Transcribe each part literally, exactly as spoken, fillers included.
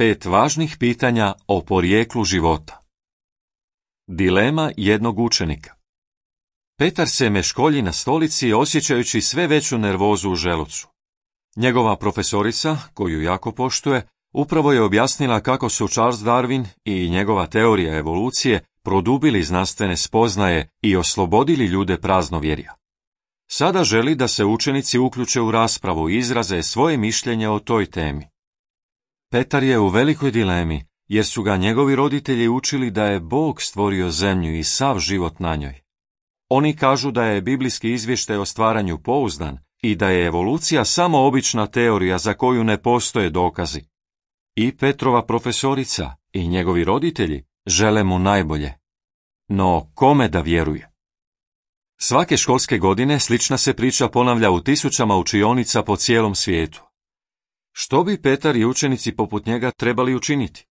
Pet važnih pitanja o porijeklu života. Dilema jednog učenika. Petar se meškolji na stolici osjećajući sve veću nervozu u želucu. Njegova profesorica, koju jako poštuje, upravo je objasnila kako su Charles Darwin i njegova teorija evolucije produbili znanstvene spoznaje i oslobodili ljude praznovjerja. Sada želi da se učenici uključe u raspravu i izraze svoje mišljenje o toj temi. Petar je u velikoj dilemi, jer su ga njegovi roditelji učili da je Bog stvorio zemlju i sav život na njoj. Oni kažu da je biblijski izvještaj o stvaranju pouzdan i da je evolucija samo obična teorija za koju ne postoje dokazi. I Petrova profesorica i njegovi roditelji žele mu najbolje. No kome da vjeruje? Svake školske godine slična se priča ponavlja u tisućama učionica po cijelom svijetu. Što bi Petar i učenici poput njega trebali učiniti?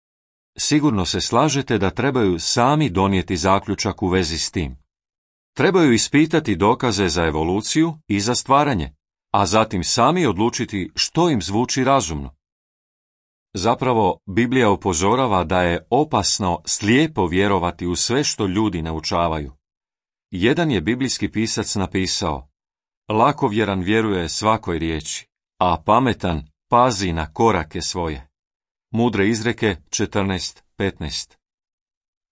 Sigurno se slažete da trebaju sami donijeti zaključak u vezi s tim. Trebaju ispitati dokaze za evoluciju i za stvaranje, a zatim sami odlučiti što im zvuči razumno. Zapravo, Biblija upozorava da je opasno slijepo vjerovati u sve što ljudi naučavaju. Jedan je biblijski pisac napisao: lakovjeran vjeruje svakoj riječi, a pametan pazi na korake svoje. Mudre izreke četrnaest petnaest.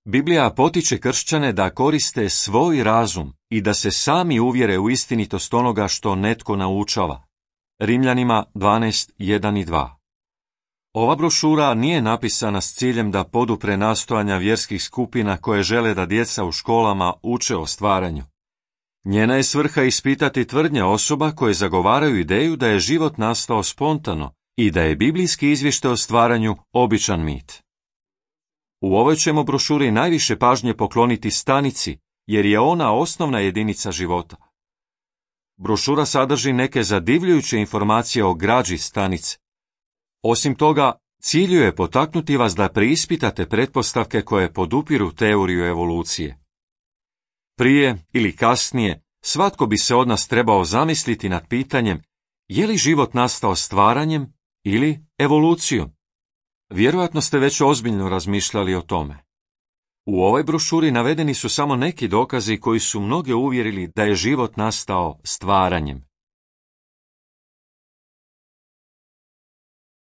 Biblija potiče kršćane da koriste svoj razum i da se sami uvjere u istinitost onoga što netko naučava. Rimljanima dvanaest jedan i dva. Ova brošura nije napisana s ciljem da podupre nastojanja vjerskih skupina koje žele da djeca u školama uče o stvaranju. Njena je svrha ispitati tvrdnje osoba koje zagovaraju ideju da je život nastao spontano i da je biblijski izvještaj o stvaranju običan mit. U ovoj ćemo brošuri najviše pažnje pokloniti stanici, jer je ona osnovna jedinica života. Brošura sadrži neke zadivljujuće informacije o građi stanice. Osim toga, cilju je potaknuti vas da preispitate pretpostavke koje podupiru teoriju evolucije. Prije ili kasnije, svatko bi se od nas trebao zamisliti nad pitanjem je li život nastao stvaranjem ili evolucijom. Vjerojatno ste već ozbiljno razmišljali o tome. U ovoj brošuri navedeni su samo neki dokazi koji su mnoge uvjerili da je život nastao stvaranjem.